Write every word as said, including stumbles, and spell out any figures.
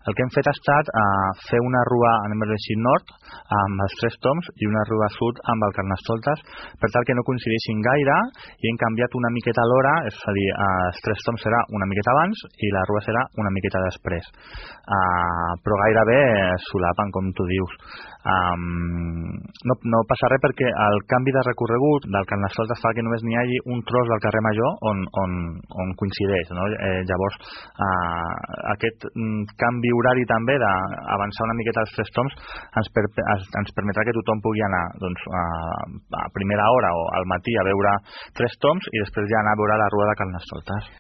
el que hem fet ha estat uh, fer una rua, anem a dir així, nord, amb els tres toms, i una rua sud amb el Carnestoltes, per tal que no coincideixin gaire, i hem canviat una miqueta l'hora, és a dir, uh, els tres toms serà una miqueta abans i la rua serà una miqueta després. Uh, però gairebé solapen, com tu dius. Um, no, no passa res perquè el canvi de recorregut del Carnestoltes fa que només n'hi hagi un tros del carrer Major on, on, on coincideix, no? Eh, llavors uh, aquest um, canvi horari també d'avançar una miqueta els tres toms ens, per, ens permetrà que tothom pugui anar doncs, a, a primera hora o al matí a veure tres toms i després ja anar a veure la rua de Carnestoltes.